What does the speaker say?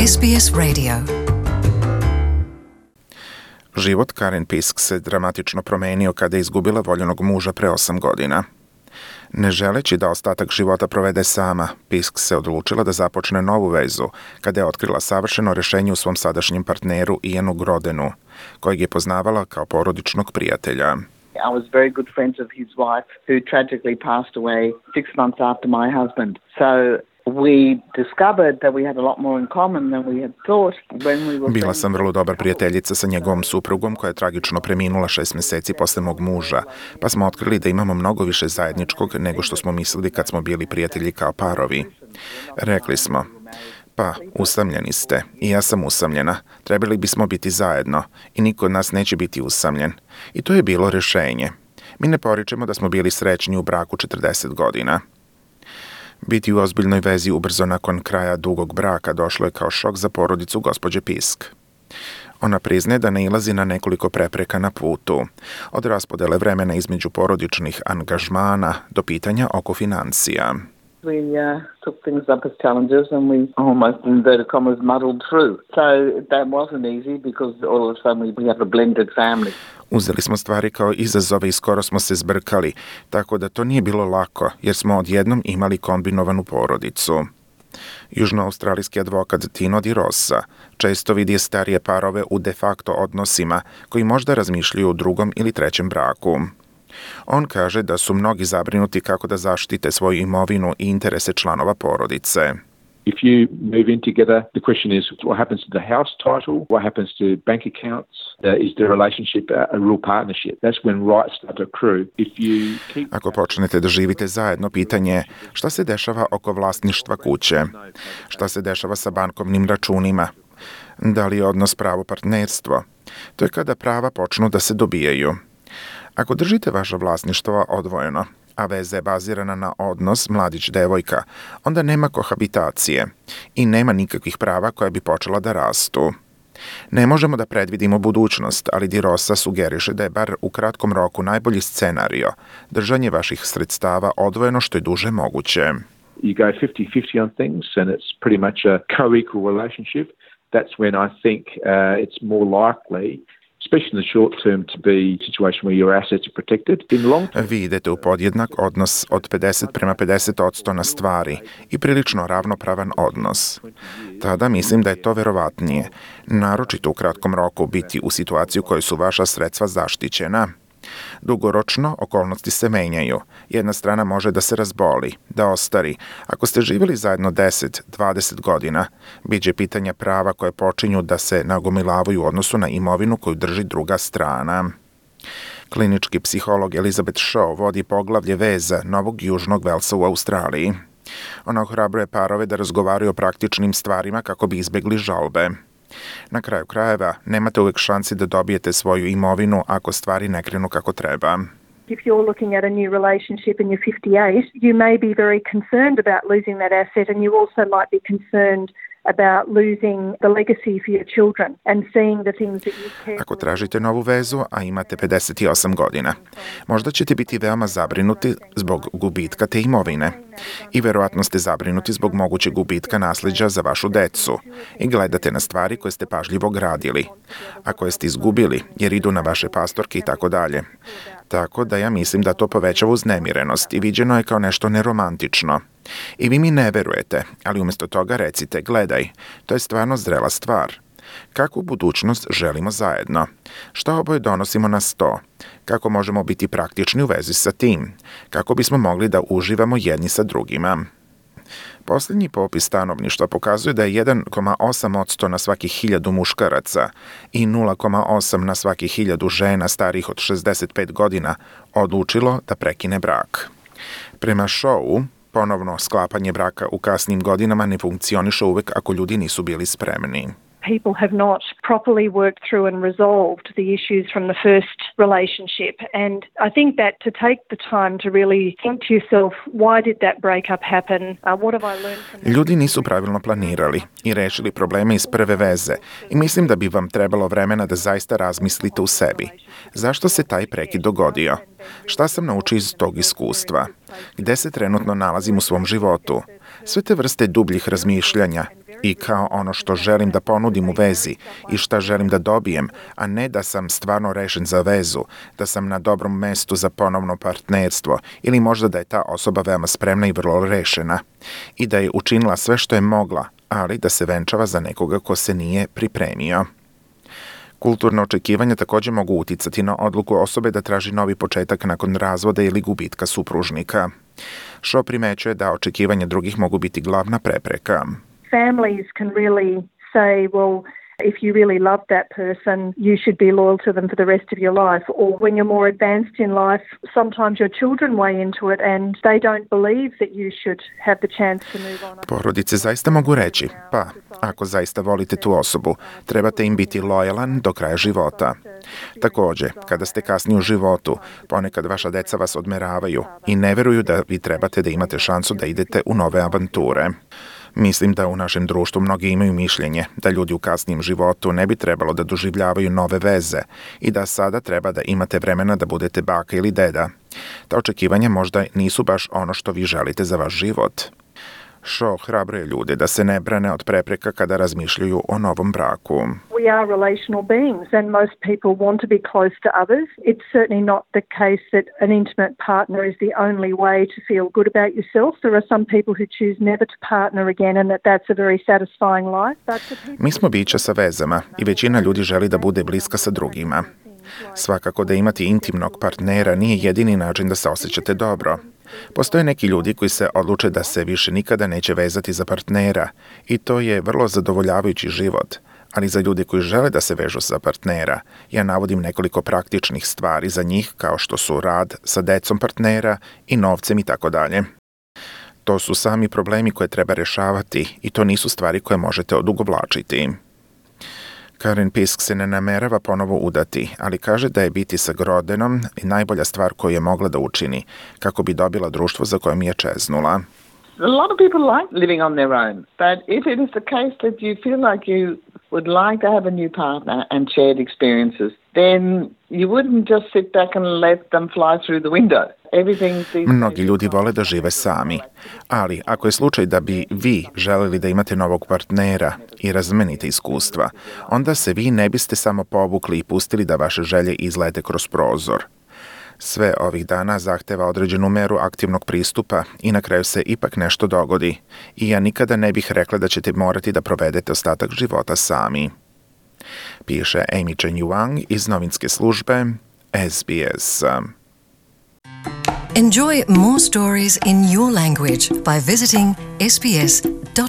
SBS Radio. Život Karen Pisk se dramatično promenio kada je izgubila voljenog muža pre 8 godina. Ne želeći da ostatak života provede sama, Pisk se odlučila da započne novu vezu kada je otkrila savršeno rešenje u svom sadašnjem partneru Ianu Grodenu, kojeg je poznavala kao porodičnog prijatelja. I was very good friends of his wife who tragically passed away 6 months after my husband. So we discovered that we had a lot more in common than we had thought when we were. Bila sam vrlo dobar prijateljica sa njegovom suprugom koja je tragično preminula 6 meseci posle mog muža, pa smo otkrili da imamo mnogo više zajedničkog nego što smo mislili kad smo bili prijatelji kao parovi. Rekli smo, pa, usamljeni ste i ja sam usamljena, trebali bismo biti zajedno i niko od nas neće biti usamljen. I to je bilo rešenje. Mi ne poričemo da smo bili srećni u braku 40 godina. Biti u ozbiljnoj vezi ubrzo nakon kraja dugog braka došlo je kao šok za porodicu gospođe Pisk. Ona priznaje da nailazi na nekoliko prepreka na putu, od raspodele vremena između porodičnih angažmana do pitanja oko financija. We took things up as challenges and we almost, in inverted commas, muddled through. So that wasn't easy because all of a sudden we have a blended family. Uzeli smo stvari kao izazove i skoro smo se zbrkali, tako da to nije bilo lako, jer smo odjednom imali kombinovanu porodicu. Južnoaustralijski advokat Tino Di Rosa često vidi starije parove u de facto odnosima koji možda razmišljaju o drugom ili trećem braku. On kaže da su mnogi zabrinuti kako da zaštite svoju imovinu i interese članova porodice. If you move in together, the question is what happens to the house title, what happens to bank accounts, is the relationship a real partnership? That's when rights start to accrue. Ako počnete da živite zajedno, pitanje je šta se dešava oko vlasništva kuće, šta se dešava sa bankovnim računima, da li je odnos pravo partnerstvo. To je kada prava počnu da se dobijaju. Ako držite vaše vlasništvo odvojeno, a veza je bazirana na odnos mladić-devojka, onda nema kohabitacije i nema nikakvih prava koja bi počela da rastu. Ne možemo da predvidimo budućnost, ali Di Rosa sugeriše da je bar u kratkom roku najbolji scenario držanje vaših sredstava odvojeno što je duže moguće. You go 50-50 on things and it's pretty much a co-equal relationship. That's when I think it's more likely, especially in the short term, to be a situation where your assets are protected. In long term, vi idete u podjednak odnos od 50:50% na stvari i prilično ravnopravan odnos. Tada mislim da je to verovatnije, naročito u kratkom roku biti u situaciji u kojoj su vaša sredstva zaštićena. Dugoročno okolnosti se menjaju. Jedna strana može da se razboli, da ostari. Ako ste živjeli zajedno 10-20 godina, biće pitanja prava koje počinju da se nagomilavaju u odnosu na imovinu koju drži druga strana. Klinički psiholog Elizabeth Shaw vodi poglavlje veza Novog Južnog Velsa u Australiji. Ona ohrabruje parove da razgovaraju o praktičnim stvarima kako bi izbegli žalbe. Na kraju krajeva, nemate uvek šansi da dobijete svoju imovinu ako stvari ne krenu kako treba. If you're looking at a new relationship and you're 58, you may be very concerned about losing that asset and you also might be concerned about losing the legacy for your children and seeing the things that you care. Ako tražite novu vezu, a imate 58 godina, možda ćete biti veoma zabrinuti zbog gubitka te imovine. I verovatno ste zabrinuti zbog mogućeg gubitka nasleđa za vašu decu i gledate na stvari koje ste pažljivo gradili, a koje ste izgubili jer idu na vaše pastorke i tako dalje. Tako da ja mislim da to povećava uznemirenost i viđeno je kao nešto neromantično. I vi mi ne verujete, ali umjesto toga recite, gledaj, to je stvarno zrela stvar. Kakvu budućnost želimo zajedno? Šta oboje donosimo na sto? Kako možemo biti praktični u vezi sa tim? Kako bismo mogli da uživamo jedni sa drugima? Posljednji popis stanovništva pokazuje da je 1,8% na svakih 1000 muškaraca i 0,8 na svakih 1000 žena starijih od 65 godina odlučilo da prekine brak. Prema Shawu, ponovno sklapanje braka u kasnim godinama ne funkcioniše uvek ako ljudi nisu bili spremni. People have not properly worked through and resolved the issues from the first relationship. And I think that to take the time to really think to yourself, why did that breakup happen? What have I learned from that? Ljudi nisu pravilno planirali i rešili probleme iz prve veze i mislim da bi vam trebalo vremena da zaista razmislite u sebi. Zašto se taj prekid dogodio? Šta sam naučio iz tog iskustva? Gde se trenutno nalazim u svom životu? Sve te vrste dubljih razmišljanja i kao ono što želim da ponudim u vezi i šta želim da dobijem, a ne da sam stvarno rešen za vezu, da sam na dobrom mestu za ponovno partnerstvo ili možda da je ta osoba veoma spremna i vrlo rešena i da je učinila sve što je mogla, ali da se venčava za nekoga ko se nije pripremio. Kulturno očekivanja također mogu uticati na odluku osobe da traži novi početak nakon razvoda ili gubitka supružnika. Shaw primećuje da očekivanja drugih mogu biti glavna prepreka. Families can really say, well, if you really love that person, you should be loyal to them for the rest of your life. Or when you're more advanced in life, sometimes your children weigh into it and they don't believe that you should have the chance to move on. Porodice zaista mogu reći, pa, ako zaista volite tu osobu, trebate im biti lojalan do kraja života. Također, kada ste kasni u životu, ponekad vaša deca vas odmeravaju i ne veruju da vi trebate da imate šansu da idete u nove avanture. Mislim da u našem društvu mnogi imaju mišljenje da ljudi u kasnijem životu ne bi trebalo da doživljavaju nove veze i da sada treba da imate vremena da budete baka ili deda. Ta očekivanja možda nisu baš ono što vi želite za vaš život. Shaw hrabruje ljude da se ne brane od prepreka kada razmišljaju o novom braku. We are relational beings and most people want to be close to others. It's certainly not the case that an intimate partner is the only way to feel good about yourself. There are some people who choose never to partner again and that's a very satisfying life. Mi smo bića sa vezama i većina ljudi želi da bude bliska sa drugima. Svakako da imati intimnog partnera nije jedini način da se osjećate dobro. Postoje neki ljudi koji se odluče da se više nikada neće vezati za partnera i to je vrlo zadovoljavajući život. Ali za ljude koji žele da se vežu za partnera, ja navodim nekoliko praktičnih stvari za njih kao što su rad sa decom partnera i novcem i tako dalje. To su sami problemi koje treba rešavati i to nisu stvari koje možete odugovlačiti. Karen Pisk se ne namerava ponovo udati, ali kaže da je biti sa Grodenom najbolja stvar koju je mogla da učini, kako bi dobila društvo za kojom je čeznula. A lot of people like living on their own, but if it is the case that you feel like you would like to have a new partner and shared experiences, then you wouldn't just sit back and let them fly through the window. Mnogi ljudi vole da žive sami, ali ako je slučaj da bi vi želeli da imate novog partnera i razmenite iskustva, onda se vi ne biste samo povukli i pustili da vaše želje izlete kroz prozor. Sve ovih dana zahteva određenu meru aktivnog pristupa i na kraju se ipak nešto dogodi. I ja nikada ne bih rekla da ćete morati da provedete ostatak života sami. Piše Amy Chen Yuang iz novinske službe SBS. Enjoy more stories in your language by visiting sbs.com.au.